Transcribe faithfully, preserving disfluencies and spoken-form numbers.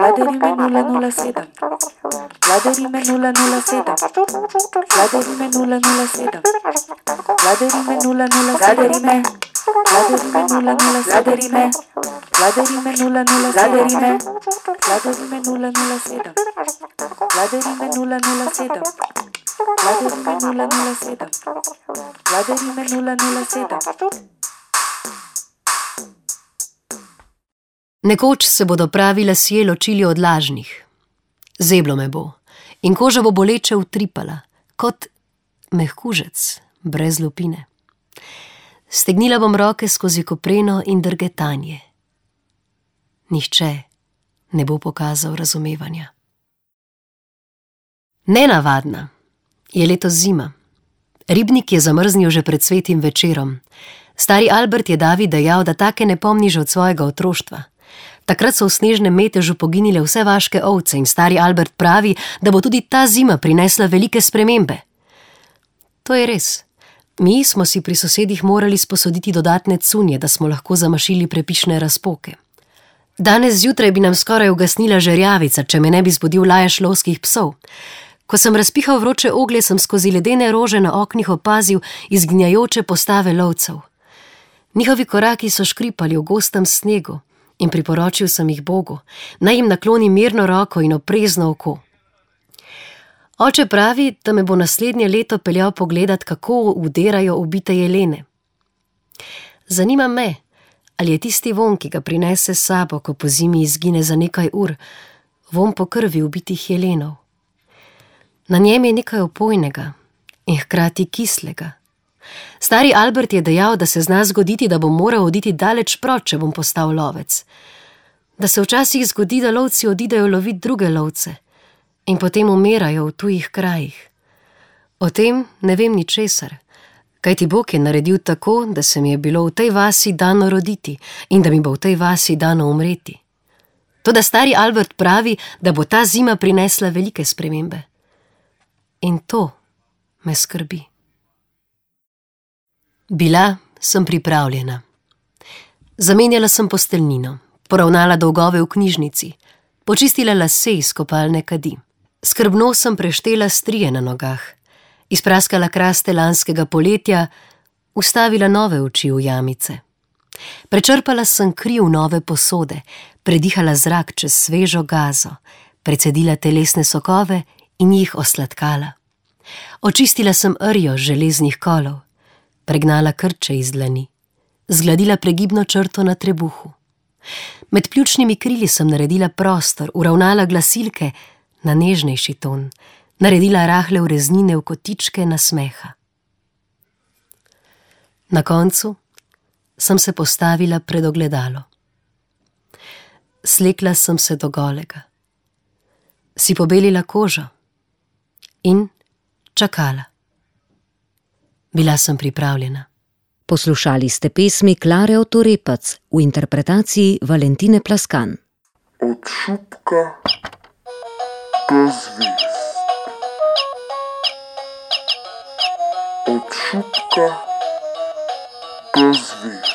Vladarime nula nula sedem. Vladarime nula nula sedem. Vladarime nula nula sedem. Vladarime nula nula Vladarime. Vladarime nula nula Vladarime. Vladarime nula nula Vladarime. Vladarime nula nula sedem. Vladarime nula nula sedem. Vladarime nula nula sedem. Vladarime nula nula sedem. Nekoč se bodo pravi lasje ločili od lažnih. Zeblo me bo in koža bo boleče utripala, kot mehkužec brez lupine. Stegnila bom roke skozi kopreno in drgetanje. Nihče ne bo pokazal razumevanja. Nenavadna je letos zima. Ribnik je zamrznil že pred svetim večerom. Stari Albert je Davi dejal, da take ne pomni že od svojega otroštva. Takrat so v snežnem metežu poginile vse vaške ovce in stari Albert pravi, da bo tudi ta zima prinesla velike spremembe. To je res. Mi smo si pri sosedih morali sposoditi dodatne cunje, da smo lahko zamašili prepišne razpoke. Danes zjutraj bi nam skoraj ugasnila žerjavica, če me ne bi zbudil lajež lovskih psov. Ko sem razpihal vroče oglje, sem skozi ledene rože na oknih opazil izginjajoče postave lovcev. Njihovi koraki so škripali v gostem snegu in priporočil sem jih Bogu, naj jim nakloni mirno roko in oprezno oko. Oče pravi, da me bo naslednje leto peljal pogledat, kako uderajo ubite jelene. Zanima me, ali je tisti vonj, ki ga prinese s sabo, ko po zimi izgine za nekaj ur, vonj po krvi ubitih jelenov. Na njem je nekaj opojnega in hkrati kislega. Stari Albert je dejal, da se zna zgoditi, da bom moral oditi daleč proč, če bom postal lovec. Da se včasih zgodi, da lovci odidejo lovit druge lovce in potem umirajo v tujih krajih. O tem ne vem ničesar, kajti Bog je naredil tako, da se mi je bilo v tej vasi dano roditi in da mi bo v tej vasi dano umreti. Toda stari Albert pravi, da bo ta zima prinesla velike spremembe. In to me skrbi. Bila sem pripravljena. Zamenjala sem posteljnino, poravnala dolgove v knjižnici, počistila lase iz kopalne kadi. Skrbno sem preštela strije na nogah, izpraskala kraste lanskega poletja, ustavila nove oči v jamice. Prečrpala sem kri v nove posode, predihala zrak čez svežo gazo, precedila telesne sokove in jih osladkala. Očistila sem rjo železnih kolov, pregnala krče iz dlani, zgladila pregibno črto na trebuhu. Med pljučnimi krili sem naredila prostor, uravnala glasilke na nežnejši ton, naredila rahle ureznine v kotičke nasmeha. Na koncu sem se postavila pred ogledalo. Slekla sem se do golega, si pobelila kožo in čakala. Bila sem pripravljena. Poslušali ste pesmi Klare Otorepac v interpretaciji Valentine Plaskan. Od šupka do zvezd. Od šupka do zvezd.